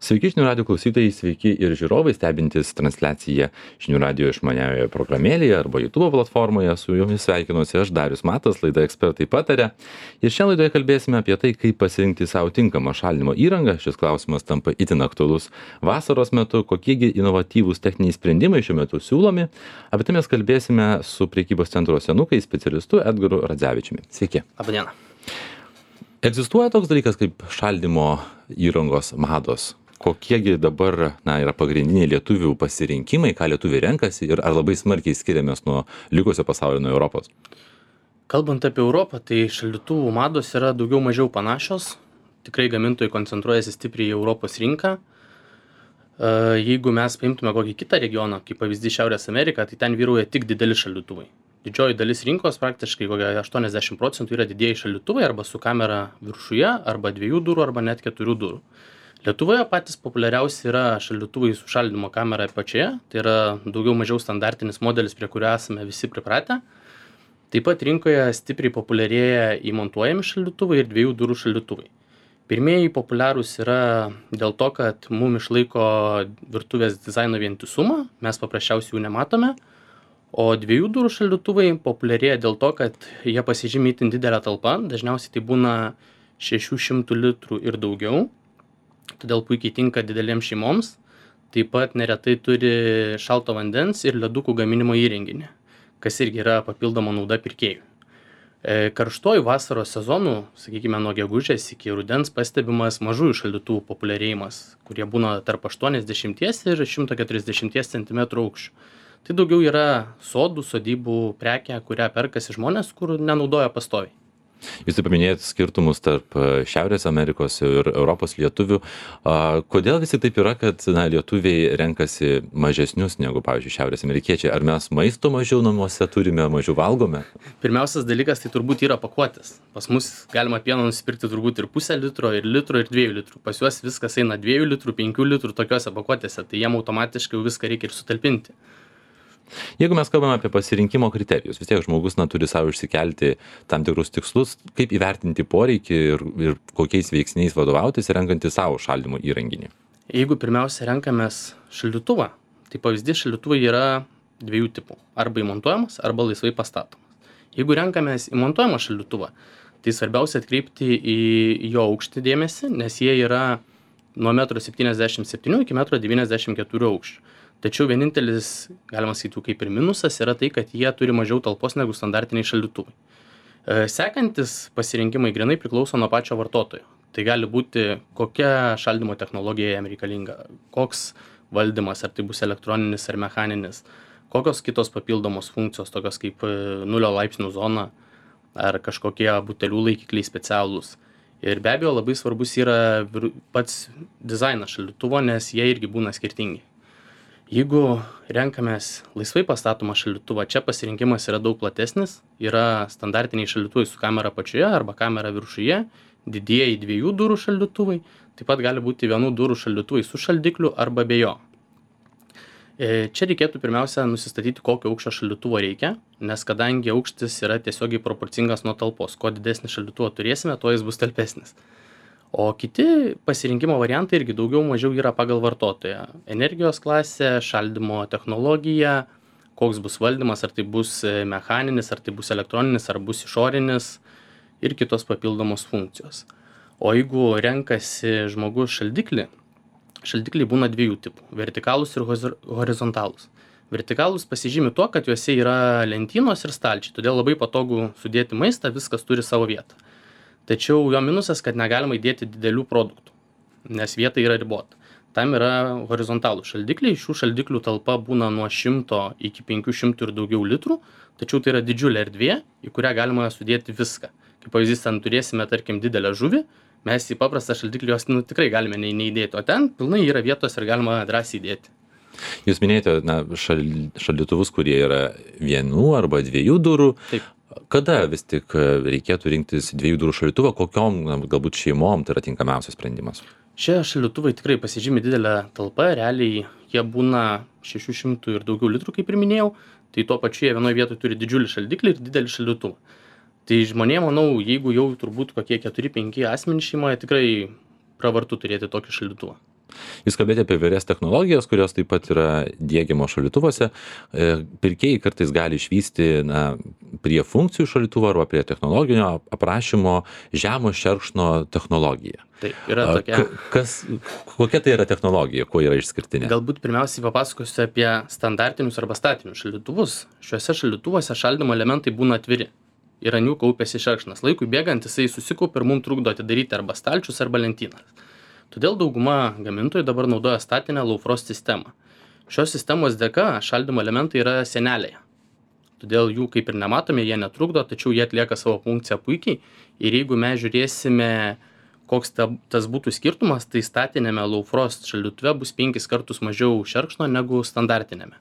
Sveiki žinių radio klausytojai, sveiki ir žiūrovai stebintys transliaciją žinių radio išmaniausioje programėlėje arba YouTube platformoje. Su jumis sveikinuosi aš, Darius Matas, laida Ekspertai pataria. Ir šią laidoje kalbėsime apie tai, kaip pasirinkti savo tinkamą šalinimo įrangą. Šis klausimas tampa itin aktualus vasaros metu, kokiegi inovatyvūs techniniai sprendimai šiuo metu siūlomi. Apie tai mes kalbėsime su prekybos centro Senukai specialistu Edgaru Radzevičiumi. Sveiki. Labadiena. Egzistuoja toks dalykas kaip šaldymo įrangos mados. Kokiegi dabar yra pagrindiniai lietuvių pasirinkimai, ką lietuviai renkasi ir ar labai smarkiai skiriamės nuo likusio pasaulio, nuo Europos? Kalbant apie Europą, tai šaldytuvų mados yra daugiau mažiau panašios. Tikrai gamintojai koncentruojasi stipriai į Europos rinką. Jeigu mes paimtume kokį kitą regioną, kaip pavyzdys Šiaurės Ameriką, tai ten vyrauja tik dideli šaldytuvai. Didžioji dalis rinkos, praktiškai kokia 80% yra didieji šaldytuvai arba su kamera viršuje, arba 2 durų, arba net 4 durų. Lietuvoje patys populiariausi yra šaldytuvai su šaldymo kamera apačioje, tai yra daugiau mažiau standartinis modelis, prie kurio esame visi pripratę. Taip pat rinkoje stipriai populiarėja įmontuojami šaldytuvai ir 2 durų šaldytuvai. Pirmieji populiarūs yra dėl to, kad mum išlaiko virtuvės dizaino vientisumą, mes paprasčiausiai jų nematome, o 2 durų šaldytuvai populiarėja dėl to, kad jie pasižymi itin didelę talpą, dažniausiai tai būna 600 litrų ir daugiau. Todėl puikiai tinka didelėms šeimoms, taip pat neretai turi šalto vandens ir ledukų gaminimo įrenginį, kas irgi yra papildoma nauda pirkėjų. Karštuoju vasaros sezonu, sakykime, nuo gegužės iki rudens pastebimas mažųjų šaldytuvų populiarėjimas, kurie būna tarp 80 ir 140 cm aukščio. Tai daugiau yra sodybų prekė, kurią perkasi žmonės, kur nenaudoja pastoviai. Jūs taip paminėjot skirtumus tarp Šiaurės Amerikos ir Europos lietuvių. Kodėl vis tik taip yra, kad lietuviai renkasi mažesnius negu, pavyzdžiui, Šiaurės amerikiečiai? Ar mes maisto mažiau namuose turime, mažiau valgome? Pirmiausias dalykas tai turbūt yra pakuotės. Pas mus galima pieno nusipirkti turbūt ir 0,5 litro, ir 2 litrų. Pas juos viskas eina 2 litrų, 5 litrų tokiuose pakuotėse, tai jiem automatiškai viską reikia ir sutalpinti. Jeigu mes kalbame apie pasirinkimo kriterijus, vis tiek žmogus turi savo išsikelti tam tikrus tikslus, kaip įvertinti poreikį ir kokiais veiksniais vadovautis renkantis savo šaldymo įrenginį. Jeigu pirmiausia renkamės šaldytuvą, tai pavyzdys šaldytuvai yra 2 tipų. Arba įmontuojamas, arba laisvai pastatomas. Jeigu renkamės įmontuojamą šaldytuvą, tai svarbiausia atkreipti į jo aukštį dėmesį, nes jie yra nuo 1,77 m iki 1,94 m aukščio. Tačiau vienintelis, galima sakyti, kaip ir minusas yra tai, kad jie turi mažiau talpos negu standartiniai šaldytuvai. Sekantis pasirinkimai grinai priklauso nuo pačio vartotojo. Tai gali būti, kokia šaldymo technologija jam reikalinga, koks valdymas, ar tai bus elektroninis ar mechaninis, kokios kitos papildomos funkcijos, tokios kaip 0 laipsnių zona ar kažkokie butelių laikikliai specialūs. Ir be abejo labai svarbus yra pats dizainas šaldytuvo, nes jie irgi būna skirtingi. Jeigu renkamės laisvai pastatomą šaldytuvą, čia pasirinkimas yra daug platesnis. Yra standartiniai šaldytuvai su kamera apačioje arba kamera viršuje, didieji 2 durų šaldytuvai, taip pat gali būti 1 durų šaldytuvai su šaldikliu arba be jo. Čia reikėtų pirmiausia nusistatyti, kokio aukščio šaldytuvo reikia, nes kadangi aukštis yra tiesiogiai proporcingas nuo talpos, kuo didesnį šaldytuvą turėsime, tuo jis bus talpesnis. O kiti pasirinkimo variantai irgi daugiau mažiau yra pagal vartotoją. Energijos klasė, šaldymo technologija, koks bus valdymas, ar tai bus mechaninis, ar tai bus elektroninis, ar bus išorinis ir kitos papildomos funkcijos. O jeigu renkasi žmogus šaldiklį, šaldikliai būna 2 tipų - vertikalūs ir horizontalūs. Vertikalūs pasižymi tuo, kad juose yra lentynos ir stalčiai, todėl labai patogu sudėti maistą, viskas turi savo vietą. Tačiau jo minusas, kad negalima įdėti didelių produktų, nes vieta yra ribota. Tam yra horizontalų šaldikliai, šių šaldiklių talpa būna nuo 100 iki 500 ir daugiau litrų, tačiau tai yra didžiulė erdvė, į kurią galima sudėti viską. Kaip pavyzdys, ten turėsime, tarkim, didelę žuvį, mes į paprastą šaldiklį jos tikrai galime neįdėti, o ten pilnai yra vietos ir galima drąsiai įdėti. Jūs minėjote šaldytuvus, kurie yra 1 arba 2 durų. Taip. Kada vis tik reikėtų rinktis 2 durų šaldytuvą, kokiom galbūt šeimom tai yra tinkamiausias sprendimas? Šie šaldytuvai tikrai pasižymi didelę talpą, realiai jie būna 600 ir daugiau litrų, kaip ir minėjau, tai tuo pačiu jie vienoje vietoje turi didžiulį šaldiklį ir didelį šaldytuvą. Tai žmonėm, manau, jeigu jau turbūt kokie 4-5 asmenys šeimoje, tikrai pravartu turėti tokį šaldytuvą. Jūs kalbėjote apie įvairias technologijas, kurios taip pat yra diegiamos šaldytuvuose. Pirkėjai kartais gali išvysti prie funkcijų šaldytuvo arba prie technologinio aprašymo žemo šerkšno technologiją. Taip, yra tokia. Kokia tai yra technologija, kuo yra išskirtinė? Galbūt pirmiausiai papasakosiu apie standartinius arba statinius šaldytuvus. Šiuose šaldytuvuose šaldymo elementai būna atviri ir ant jų kaupiasi šerkšnas. Laikui bėgant jisai susikaupia ir mums trukdo atidaryti arba stalčius, arba lentynas. Todėl dauguma gamintojų dabar naudoja statinę low frost sistemą. Šios sistemos dėka šaldymo elementai yra sienelėje. Todėl jų kaip ir nematome, jie netrukdo, tačiau jie atlieka savo funkciją puikiai. Ir jeigu mes žiūrėsime, koks tas būtų skirtumas, tai statinėme low frost šaldytuve bus 5 kartus mažiau šerkšno negu standartinėme.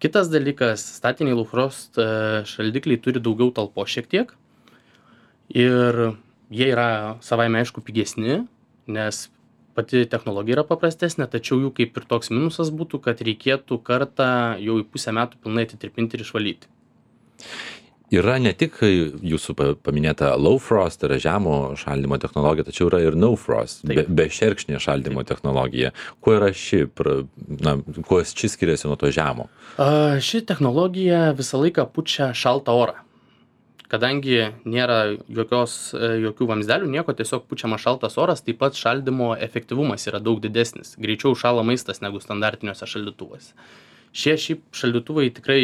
Kitas dalykas, statiniai low frost šaldikliai turi daugiau talpos šiek tiek ir jie yra savaime aišku pigesni, nes pati technologija yra paprastesnė, tačiau jų kaip ir toks minusas būtų, kad reikėtų kartą jau į pusę metų pilnai atitirpinti ir išvalyti. Yra ne tik jūsų paminėta low frost, tai yra žemo šaldymo technologija, tačiau yra ir no frost, be šerkšnė šaldymo technologija. Kuo yra kuo ši skiriasi nuo to žemo? Ši technologija visą laiką pučia šaltą orą. Kadangi nėra jokių vamzdelių, nieko, tiesiog pučiama šaltas oras, taip pat šaldymo efektyvumas yra daug didesnis. Greičiau šąla maistas negu standartiniuose šaldytuvuose. Šie šaldytuvai tikrai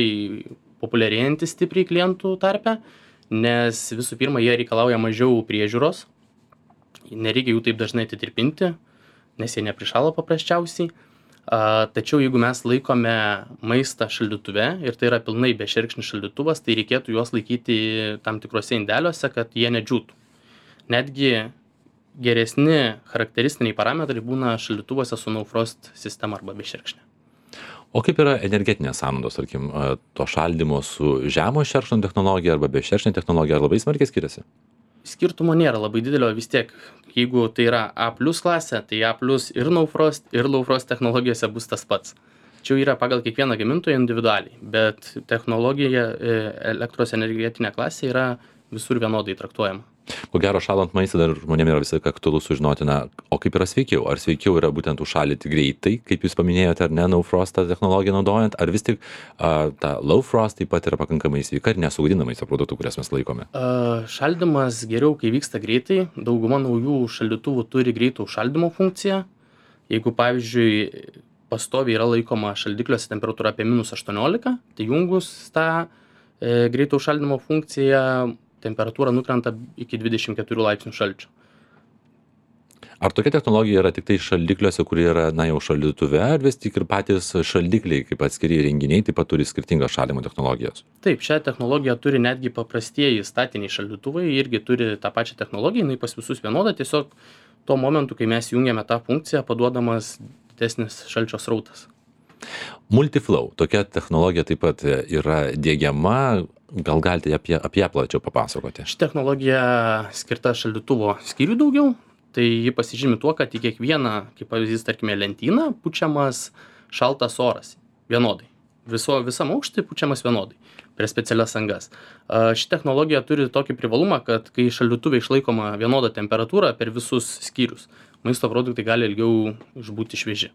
populiarėjantis stipriai klientų tarpe, nes visų pirma, jie reikalauja mažiau priežiūros, nereikia jų taip dažnai atitirpinti, nes jie neprišąla paprasčiausiai. Tačiau jeigu mes laikome maistą šaldytuve ir tai yra pilnai bešerkšnis šaldytuvas, tai reikėtų juos laikyti tam tikrose indeliuose, kad jie nedžiūtų. Netgi geresni charakteristiniai parametrai būna šaldytuvuose su no frost sistema arba bešerkšnė. O kaip yra energetinės sąnaudos, tarkim, to šaldymo su žemo šerkšno technologija arba be šerkšnio technologija, ar labai smarkiai skiriasi? Skirtumo nėra labai didelio, vis tiek, jeigu tai yra A+ klasė, tai A+ ir no frost, ir low frost technologijose bus tas pats. Čia yra pagal kiekvieną gamintoją individualiai, bet technologija elektros energetinė klasė yra visur vienodai traktuojama. Ko gero, šalant maistą dar žmonėms yra visai aktualu sužinoti, o kaip yra sveikiau? Ar sveikiau yra būtent užšaldyti greitai, kaip jūs paminėjote, ar ne, no frost technologiją naudojant, ar vis tik ta low frost taip pat yra pakankamai sveika ir nesugadina maisto produktų, kurias mes laikome? Šaldymas geriau, kai vyksta greitai. Dauguma naujų šaldytuvų turi greito užšaldymo funkciją. Jeigu, pavyzdžiui, pastoviai yra laikoma šaldikliuose temperatūra apie -18, tai jungus tą greito užšaldymo funkciją temperatūra nukrenta iki 24 laipsnių šalčio. Ar tokia technologija yra tik tai šaldikliuose, kurie yra, jau šaldytuve, ar vis tik ir patys šaldikliai, kaip atskiri įrenginiai, taip pat turi skirtingas šaldymo technologijas? Taip, šią technologiją turi netgi paprastieji statiniai šaldytuvai, irgi turi tą pačią technologiją, jinai pas visus vienoda, tiesiog tuo momentu, kai mes jungiame tą funkciją, paduodamas didesnis šalčio srautas. Multiflow, tokia technologija taip pat yra diegiama, gal galite apie ją plačiau papasakoti? Ši technologija skirta šaldytuvo skyrių daugiau, tai ji pasižymi tuo, kad į kiekvieną, kaip pavyzdys, tarkime, lentyną pučiamas šaltas oras vienodai. Visam aukštį pučiamas vienodai prie specialias angas. Ši technologija turi tokį privalumą, kad kai šaldytuve išlaikoma vienoda temperatūra per visus skyrius, maisto produktai gali ilgiau išbūti švieži.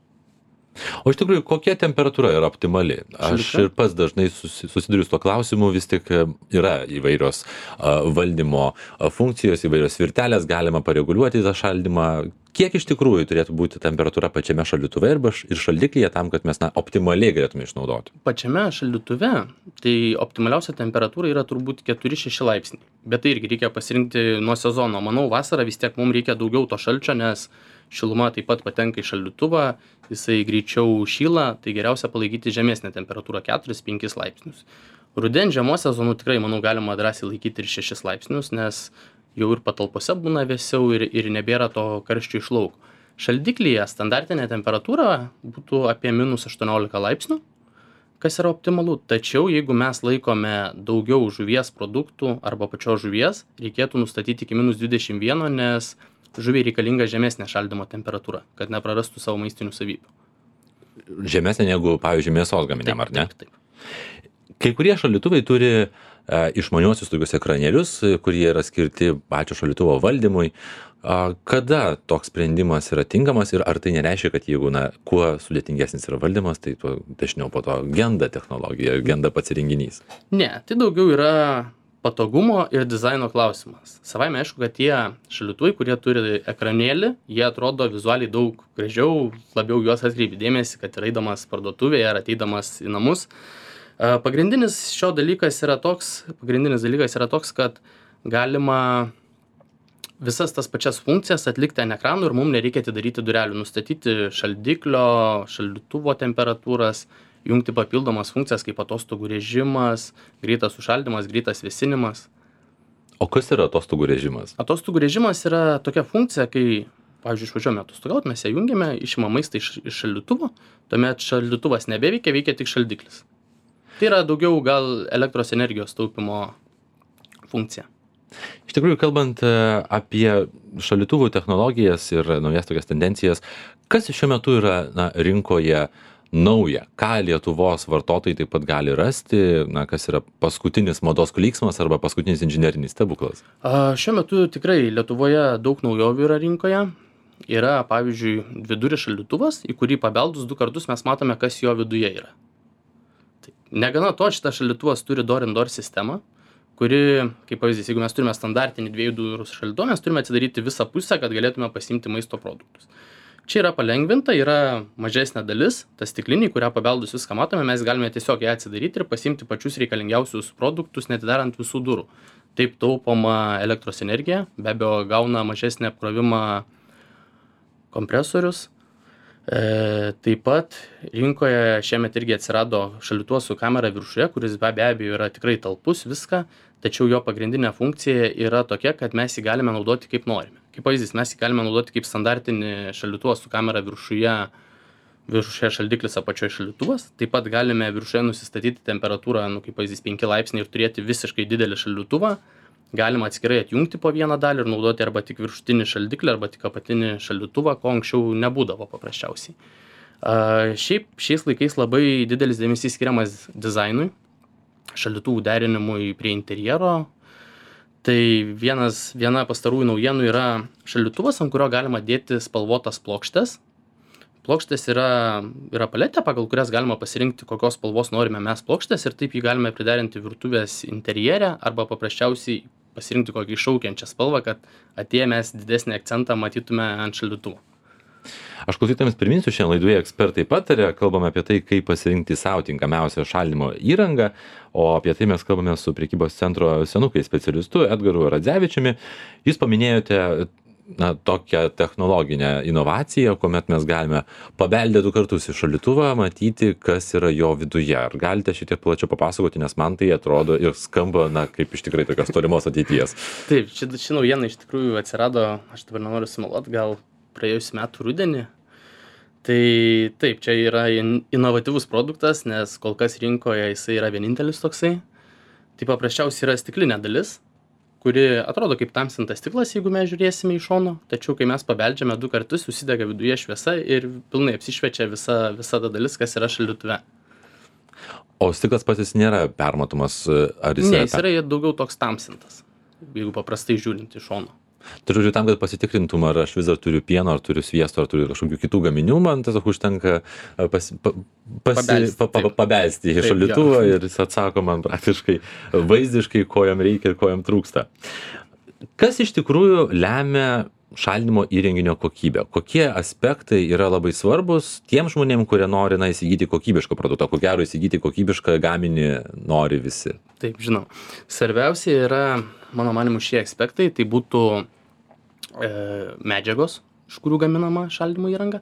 O iš tikrųjų, kokia temperatūra yra optimali? Aš ir pats dažnai susiduriu su tuo klausimu, vis tik yra įvairios valdymo funkcijos, įvairios virtelės, galima pareguliuoti tą šaldymą. Kiek iš tikrųjų turėtų būti temperatūra pačiame šaldytuve ir šaldiklyje tam, kad mes optimaliai galėtume išnaudoti? Pačiame šaldytuve tai optimaliausia temperatūra yra turbūt 4-6 laipsniai. Bet tai irgi reikia pasirinkti nuo sezono. Manau, vasarą vis tiek mums reikia daugiau to šalčio, nes šiluma taip pat patenka į šaldytuvą, jisai greičiau šyla, tai geriausia palaikyti žemesnę temperatūrą 4-5 laipsnius. Rudens žiemos sezonu tikrai, manau, galima drąsiai laikyti ir 6 laipsnius, nes jau ir patalpose būna vėsiau ir nebėra to karščio iš lauko. Šaldiklyje standartinė temperatūra būtų apie -18 laipsnių, kas yra optimalu. Tačiau jeigu mes laikome daugiau žuvies produktų arba pačios žuvies, reikėtų nustatyti iki -21, nes žuviai reikalinga žemesnė šaldymo temperatūra, kad neprarastų savo maistinių savybių. Žemesnė negu, pavyzdžiui, mėsos gaminiam, ar ne? Taip. Kai kurie šaldytuvai turi išmaniuosius tokius ekranėlius, kurie yra skirti pačio šaldytuvo valdymui. Kada toks sprendimas yra tinkamas ir ar tai nereiškia, kad jeigu, kuo sudėtingesnis yra valdymas, tai tuo dažniau po to genda technologija, genda pats įrenginys? Ne, tai daugiau yra patogumo ir dizaino klausimas. Savaime aišku, kad tie šaldytuvai, kurie turi ekranėlį, jie atrodo vizualiai daug gražiau, labiau juos atkreipi dėmesį, kad ir eidamas parduotuvėje ar ateidamas į namus. Pagrindinis dalykas yra toks, kad galima visas tas pačias funkcijas atlikti ant ekranų ir mums nereikia atidaryti durelių, nustatyti šaldiklio, šaldytuvo temperatūras, jungti papildomas funkcijas kaip atostogų režimas, greitas užšaldymas, greitas vėsinimas. O kas yra atostogų režimas? Atostogų režimas yra tokia funkcija, kai, pavyzdžiui, išvažiuojame atostogauti, mes ją jungiame, išimame maistą iš šaldytuvo, tuomet šaldytuvas nebeveikia, veikia tik šaldiklis. Tai yra daugiau gal elektros energijos taupimo funkcija. Iš tikrųjų, kalbant apie šaldytuvų technologijas ir naujas tokias tendencijas, kas šiuo metu yra rinkoje nauja? Ką Lietuvos vartotojai taip pat gali rasti, kas yra paskutinis mados klyksmas arba paskutinis inžinerinis stebuklas? Šiuo metu tikrai Lietuvoje daug naujovių yra rinkoje. Yra, pavyzdžiui, viduris šaldytuvas, į kurį pabeldus 2 kartus mes matome, kas jo viduje yra. Negana to, šitas šaldytuvas turi door-in-door sistemą, kuri, kaip pavyzdys, jeigu mes turime standartinį 2 durų šaldytuvą, mes turime atsidaryti visą pusę, kad galėtume pasiimti maisto produktus. Čia yra palengvinta, yra mažesnė dalis, ta stiklinė, kurią pabeldus viską matome, mes galime tiesiog ją atsidaryti ir pasiimti pačius reikalingiausius produktus, netidarant visų durų. Taip taupoma elektros energija, be abejo gauna mažesnį apkrovimą kompresorius. Taip pat rinkoje šiemet irgi atsirado šaldytuvas su kamera viršuje, kuris be abejo yra tikrai talpus viską, tačiau jo pagrindinė funkcija yra tokia, kad mes jį galime naudoti kaip norime. Kaip pavyzdys, mes jį galime naudoti kaip standartinį šaldytuvą su kamera viršuje šaldiklis, apačioje šaldytuvas. Taip pat galime viršuje nusistatyti temperatūrą, kaip pavyzdys, 5 laipsniai ir turėti visiškai didelį šaldytuvą. Galima atskirai atjungti po vieną dalį ir naudoti arba tik viršutinį šaldiklį, arba tik apatinį šaldytuvą, ko anksčiau nebūdavo paprasčiausiai. Šiaip šiais laikais labai didelis dėmesys skiriamas dizainui, šaldytuvų derinimui prie interjero. Tai viena pastarųjų naujienų yra šaldytuvas, ant kurio galima dėti spalvotas plokštes. Plokštės yra paletė, pagal kurias galima pasirinkti, kokios spalvos norime mes plokštės ir taip jį galime priderinti virtuvės interjere arba paprasčiausiai pasirinkti kokį iššaukiančią spalvą, kad atėję mes didesnį akcentą matytume ant šaldytuvo. Aš klausytojams priminsiu, šiandien laidoje ekspertai pataria, kalbame apie tai, kaip pasirinkti savo tinkamiausią šaldymo įrangą, o apie tai mes kalbame su prekybos centro Senukai specialistu Edgaru Radzevičiumi. Jūs paminėjote tokią technologinę inovaciją, kuomet mes galime pabeldę 2 kartus į šaldytuvą, matyti, kas yra jo viduje. Ar galite šitiek plačiau papasakoti, nes man tai atrodo ir skamba, kaip iš tikrai tokios tolimos ateities. Taip, ši naujiena iš tikrųjų atsirado, aš dabar nenoriu sumeluoti, gal praėjusiu metu rudenį. Tai taip, čia yra inovatyvus produktas, nes kol kas rinkoje jisai yra vienintelis toksai. Tai paprasčiausiai yra stiklinė dalis, kuri atrodo kaip tamsintas stiklas, jeigu mes žiūrėsime iš šono, tačiau kai mes pabeldžiame 2 kartus, susidega viduje šviesa ir pilnai apsišviečia visa ta dalis, kas yra šaldytuve. O stiklas pats jis nėra permatomas, ar jis Ne, jis yra daugiau toks tamsintas, jeigu paprastai žiūrint iš šono. Tai žodžiu, tam, kad pasitikrintum, ar aš vis dar turiu pieno, ar turiu sviesto, ar turiu kažkokių kitų gaminių, man tiesiog užtenka pabelsti į šaldytuvą ir jis atsako man praktiškai vaizdiškai, ko jam reikia ir ko jam trūksta. Kas iš tikrųjų lemia šaldymo įrenginio kokybę? Kokie aspektai yra labai svarbus tiem žmonėm, kurie nori įsigyti kokybišką produktą? Ko gero įsigyti kokybišką gaminį nori visi. Taip, žinau. Svarbiausia yra, mano manimu, šie aspektai. Tai būtų medžiagos, iš kurių gaminama šaldymo įranga.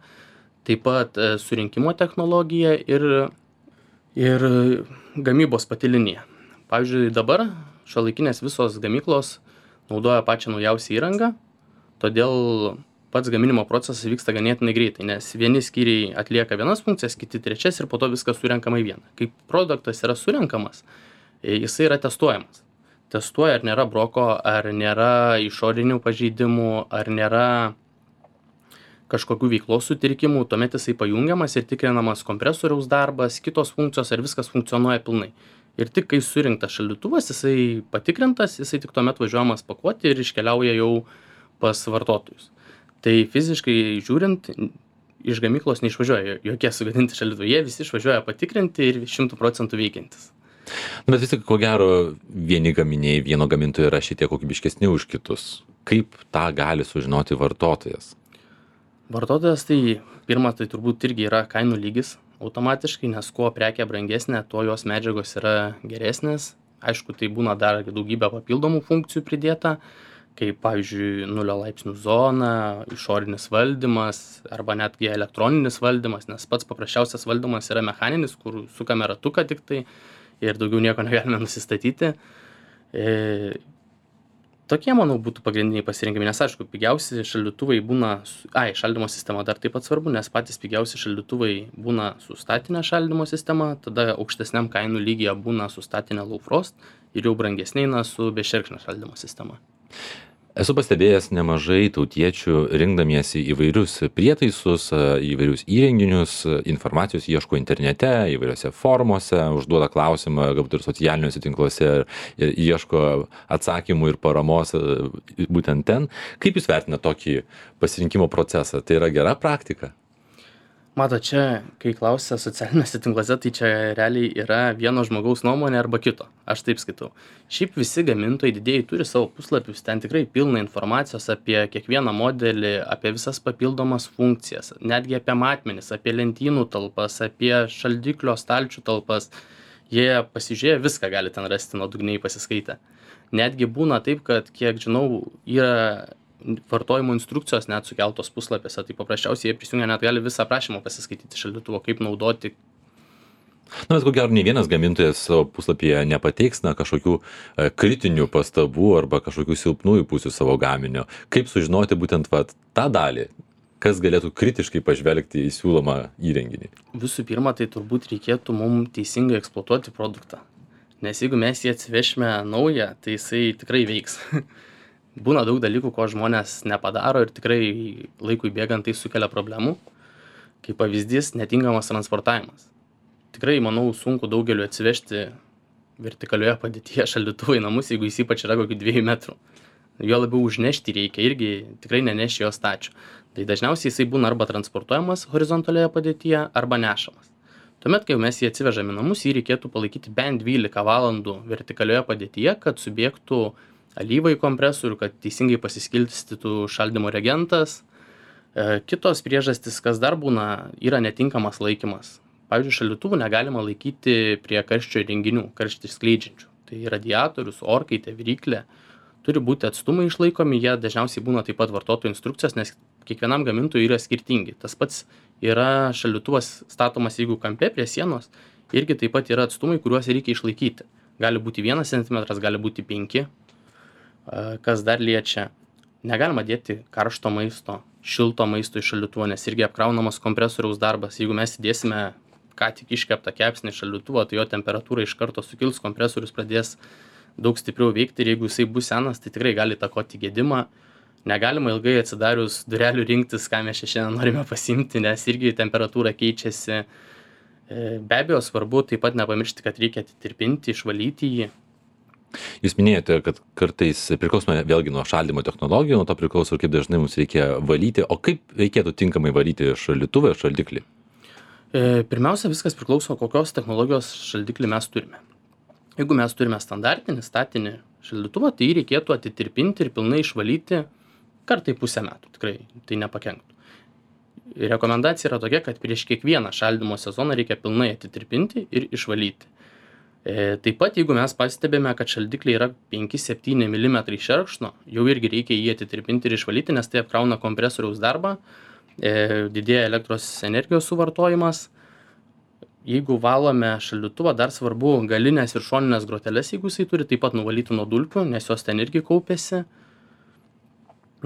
Taip pat surinkimo technologija ir gamybos pati linija. Pavyzdžiui, dabar šiuolaikinės visos gamyklos naudoja pačią naujausią įrangą, todėl pats gaminimo procesas vyksta ganėtinai greitai, nes vieni skyriai atlieka vienas funkcijas, kiti trečias ir po to viskas surenkama į vieną. Kai produktas yra surenkamas, jisai yra testuojamas. Testuoja, ar nėra broko, ar nėra išorinių pažeidimų, ar nėra kažkokių veiklos sutrikimų, tuomet jisai pajungiamas ir tikrinamas kompresoriaus darbas, kitos funkcijos, ar viskas funkcionuoja pilnai. ir tik kai surinktas šaldytuvas, jisai patikrintas, jisai tik tuomet važiuojamas pakuoti ir iškeliauja jau pas vartotojus. Tai fiziškai žiūrint, iš gamyklos neišvažiuoja jokie sugadinti šaldytuvai, jie visi išvažiuoja patikrinti ir 100% veikiantis. Bet vis tik, ko gero, vieni gaminiai vieno gamintojo yra šiek tiek kokybiškesni už kitus. Kaip tą gali sužinoti vartotojas? Vartotojas tai pirma, tai turbūt irgi yra kainų lygis automatiškai, nes kuo prekė brangesnė, tuo jos medžiagos yra geresnės. Aišku, tai būna dar daugybė papildomų funkcijų pridėta, kaip pavyzdžiui 0 laipsnių zona, išorinis valdymas arba netgi elektroninis valdymas, nes pats paprasčiausias valdymas yra mechaninis, kur sukame ratuką tik tai ir daugiau nieko negalime nusistatyti. Tokie, manau, būtų pagrindiniai pasirinkimai, nes aišku, pigiausi šaldytuvai būna, šaldymo sistema dar taip pat svarbu, nes patys pigiausi šaldytuvai būna su statinė šaldymo sistema, tada aukštesniam kainų lygyje būna su statinė low frost ir jau brangesniai su bešerkšnio šaldymo sistema. Esu pastebėjęs nemažai tautiečių rinkdamiesi įvairius prietaisus, įvairius įrenginius, informacijos ieško internete, įvairiose formuose, užduoda klausimą, galbūt ir socialiniuose tinkluose ir ieško atsakymų ir paramos būtent ten. Kaip jūs vertinate tokį pasirinkimo procesą? Tai yra gera praktika? Mato, čia, kai klausia socialiniuose tinkluose, tai čia realiai yra vieno žmogaus nuomonė arba kito. Aš taip skaitau. Šiaip visi gamintojai didėjai turi savo puslapius, ten tikrai pilna informacijos apie kiekvieną modelį, apie visas papildomas funkcijas, netgi apie matmenis, apie lentynų talpas, apie šaldiklio stalčių talpas. Jie pasižiūrėję viską gali ten rasti nuodugniai pasiskaitę. Netgi būna taip, kad, kiek žinau, yra vartojimo instrukcijos net sukeltos puslapėse, tai paprasčiausiai jie prisijungia, net gali visą aprašymą pasiskaityti šaldytuvo, kaip naudoti. Bet ko gero, nei vienas gamintojas savo puslapyje nepateiks kažkokių kritinių pastabų arba kažkokių silpnųjų pusių savo gaminio. Kaip sužinoti būtent tą dalį, kas galėtų kritiškai pažvelgti į siūlomą įrenginį? Visų pirma, tai turbūt reikėtų mums teisingai eksploatuoti produktą. Nes jeigu mes jį atsivešime naują, tai jisai tikrai veiks. Būna daug dalykų, ko žmonės nepadaro ir tikrai laikui bėgant tai sukelia problemų. Kaip pavyzdys, netinkamas transportavimas. Tikrai, manau, sunku daugeliu atsivežti vertikalioje padėtyje šaldytuvą į namus, jeigu jis ypač yra kokių 2 metrų. Jo labiau užnešti reikia, irgi tikrai neneši jo stačių. Tai dažniausiai jisai būna arba transportuojamas horizontalioje padėtyje, arba nešamas. Tuomet, kai mes jį atsivežame į namus, jį reikėtų palaikyti bent 12 valandų vertikalioje padėtyje, kad subėgtų alyva į kompresorių, kad teisingai pasiskirstytų šaldymo reagentas. Kitos priežastys, kas dar būna, yra netinkamas laikymas. Pavyzdžiui, šaldytuvų negalima laikyti prie karščio įrenginių, karštį skleidžiančių. Tai radiatorius, orkaitė, viryklė. Turi būti atstumai išlaikomi, jie dažniausiai būna taip pat vartotojų instrukcijos, nes kiekvienam gamintojui yra skirtingi. Tas pats yra šaldytuvas statomas, jeigu kampe prie sienos, irgi taip pat yra atstumai, kuriuos reikia išlaikyti. Gali būti 1 cm, gali būti 5. Kas dar liečia, negalima dėti karšto maisto, šilto maisto į šaldytuvą, nes irgi apkraunamas kompresoriaus darbas. Jeigu mes įdėsime ką tik iškeptą kepsnį į šaldytuvą, tai jo temperatūra iš karto sukils, kompresorius pradės daug stipriau veikti ir jeigu jisai bus senas, tai tikrai gali įtakoti gedimą. Negalima ilgai atsidarius durelių rinktis, ką mes šiandien norime pasiimti, nes irgi temperatūra keičiasi. Be abejo, svarbu taip pat nepamiršti, kad reikia atitirpinti, išvalyti jį. Jūs minėjote, kad kartais priklausome vėlgi nuo šaldymo technologijų, nuo to priklauso, kaip dažnai mums reikia valyti, o kaip reikėtų tinkamai valyti šaldytuvą ir šaldiklį? Pirmiausia, viskas priklauso, kokios technologijos šaldiklį mes turime. Jeigu mes turime standartinį, statinį šaldytuvą, tai jį reikėtų atitirpinti ir pilnai išvalyti kartą į pusę metų, tikrai tai nepakenktų. Rekomendacija yra tokia, kad prieš kiekvieną šaldymo sezoną reikia pilnai atitirpinti ir išvalyti. Taip pat, jeigu mes pastebime, kad šaldikliai yra 5-7 mm šerkšno, jau irgi reikia jį atitirpinti ir išvalyti, nes tai apkrauna kompresoriaus darbą, didėja elektros energijos suvartojimas. Jeigu valome šaldytuvą, dar svarbu galinės ir šoninės groteles, jeigu jisai turi, taip pat nuvalyti nuo dulkių, nes jos ten irgi kaupėsi.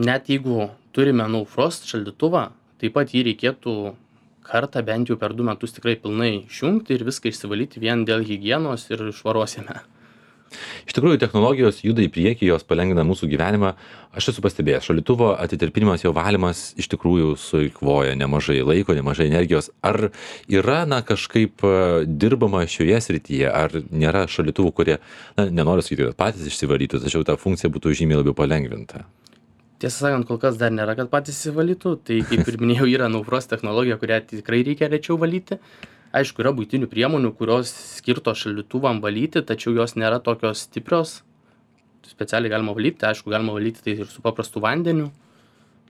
Net jeigu turime no frost šaldytuvą, taip pat jį reikėtų kartą bent jau per 2 metus tikrai pilnai išjungti ir viską išsivalyti vien dėl higienos ir švaros jame. Iš tikrųjų, technologijos juda į priekį, jos palengvina mūsų gyvenimą. Aš esu pastebėjęs, šaldytuvo atitirpinimas, jo valymas iš tikrųjų sueikvoja nemažai laiko, nemažai energijos. Ar yra, kažkaip dirbama šioje srityje, ar nėra šaldytuvų, kurie, nenoriu sakyti, kad patys išsivalytų, tačiau ta funkcija būtų žymiai labiau palengvinta? Tiesą sakant, kol kas dar nėra, kad patys įsivalytų. Tai, kaip ir minėjau, yra naufros technologija, kurią tikrai reikia rečiau valyti. Aišku, yra buitinių priemonių, kurios skirtos šaldytuvam valyti, tačiau jos nėra tokios stiprios. Specialiai galima valyti, aišku, galima valyti tai ir su paprastu vandeniu.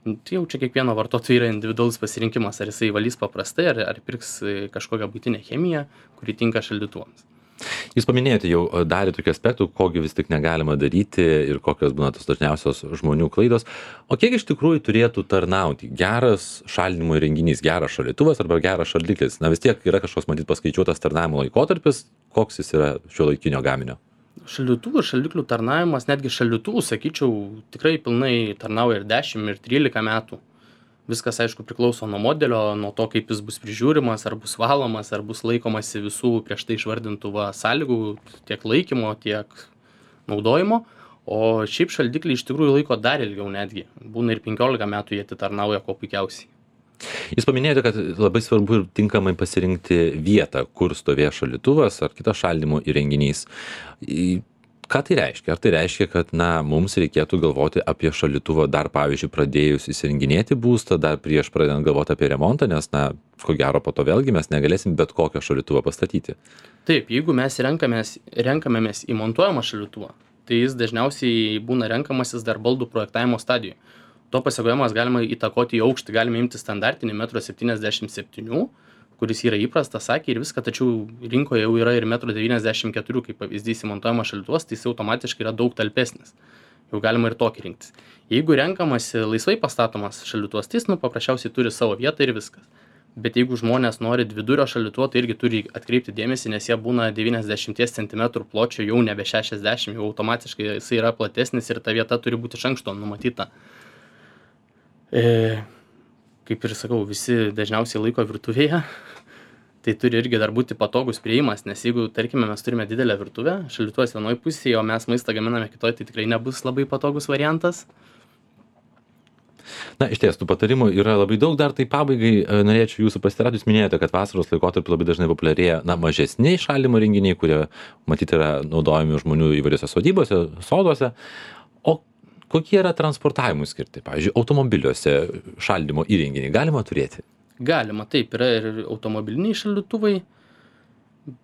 Tai jau čia kiekvieno vartotojo yra individualus pasirinkimas, ar jisai valys paprastai, ar pirks kažkokią buitinę chemiją, kuri tinka šaldytuvams. Jūs paminėjote jau dalį tokių aspektų, kogi vis tik negalima daryti ir kokios būna tos dažniausios žmonių klaidos. O kiek iš tikrųjų turėtų tarnauti geras šaldymo įrenginys, geras šaldytuvas arba geras šaldiklis? Vis tiek yra kažkoks, matyt, paskaičiuotas tarnavimo laikotarpis, koks jis yra šiuolaikinio gaminio? Šaldytuvų ir šaldiklių tarnavimas, netgi šaldytuvų, sakyčiau, tikrai pilnai tarnauja ir 10, ir 13 metų. Viskas, aišku, priklauso nuo modelio, nuo to, kaip jis bus prižiūrimas, ar bus valomas, ar bus laikomasi visų prieš tai išvardintų sąlygų, tiek laikymo, tiek naudojimo. O šiaip šaldikliai iš tikrųjų laiko dar ilgiau netgi. Būna ir 15 metų jie atitarnauja kuo puikiausiai. Jūs paminėjote, kad labai svarbu ir tinkamai pasirinkti vietą, kur stovės šaldytuvas ar kitas šaldymo įrenginys. Ką tai reiškia? Ar tai reiškia, kad mums reikėtų galvoti apie šaldytuvą dar, pavyzdžiui, pradėjus įsirenginėti būstą, dar prieš pradedant galvoti apie remontą, nes, ko gero, po to vėlgi mes negalėsim bet kokio šaldytuvo pastatyti? Taip, jeigu mes renkamėmės į montuojamą šaldytuvą, tai jis dažniausiai būna renkamasis dar baldų projektavimo stadijoje. To pasekoje galima įtakoti į aukštį, galime imti standartinį 1,77 m, kuris yra įprastas, sakė ir viską, tačiau rinkoje jau yra ir 1,94 m, kaip pavyzdys įmontuojamas šaldytuvas, tai jis automatiškai yra daug talpesnis. Jau galima ir tokį rinktis. Jeigu renkamasi laisvai pastatomas šaldytuvas, tai jis paprasčiausiai turi savo vietą ir viskas. Bet jeigu žmonės nori dvidurio šaldytuvo, tai irgi turi atkreipti dėmesį, nes jie būna 90 cm pločio, jau nebe 60, jau automatiškai jis yra platesnis ir ta vieta turi būti iš anksto numatyta. Kaip ir sakau, visi dažniausiai laiko virtuvėje, tai turi irgi dar būti patogus priėjimas, nes jeigu, tarkime, mes turime didelę virtuvę, šaldytuvas vienoje pusėje, o mes maistą gaminame kitoje, tai tikrai nebus labai patogus variantas. Iš ties, tų patarimų yra labai daug, dar tai pabaigai norėčiau jūsų pasiteirauti. Jūs minėjote, kad vasaros laikotarpiu labai dažnai populiarėja mažesni šaldymo įrenginiai, kurie matyti yra naudojami žmonių įvairiose sodybose, soduose. O kokie yra transportavimui skirti? Pavyzdžiui, automobiliuose šaldymo įrenginiai galima turėti? Galima, taip, yra ir automobiliniai šaldytuvai,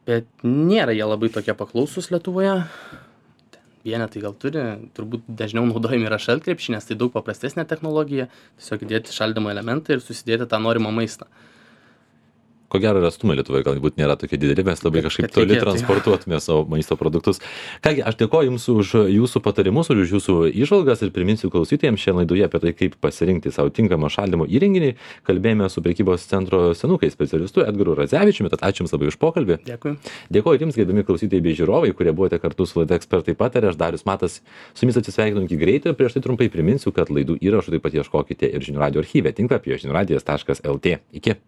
bet nėra jie labai tokie paklausus Lietuvoje. Vienetai gal turi, turbūt dažniau naudojami yra šaltkrepšiai, nes tai daug paprastesnė technologija, tiesiog įdėti šaldymo elementą ir susidėti tą norimą maistą. Ko gero ir atstumai Lietuvoje galbūt nėra tokie dideli, mes labai kažkaip toli transportuotume savo maisto produktus. Kągi, aš dėkoju Jums už Jūsų patarimus, už Jūsų įžvalgas ir priminsiu klausytojams šiandien laidoje apie tai, kaip pasirinkti savo tinkamą šaldymo įrenginį. Kalbėjome su prekybos centro Senukai specialistu Edgaru Radzevičiumi, tad ačiū Jums labai už pokalbį. Dėkui. Dėkoju ir Jums, gerbiami klausytojai bei žiūrovai, kurie buvote kartu su laida Ekspertai pataria. Aš Darius Matas, su Jumis atsisveikinu iki greitai ir prieš tai trumpai priminsiu, kad laidų įrašų taip pat ieškokite ir žinių radijo archyve tinklapyje žiniųradijas.lt. Iki.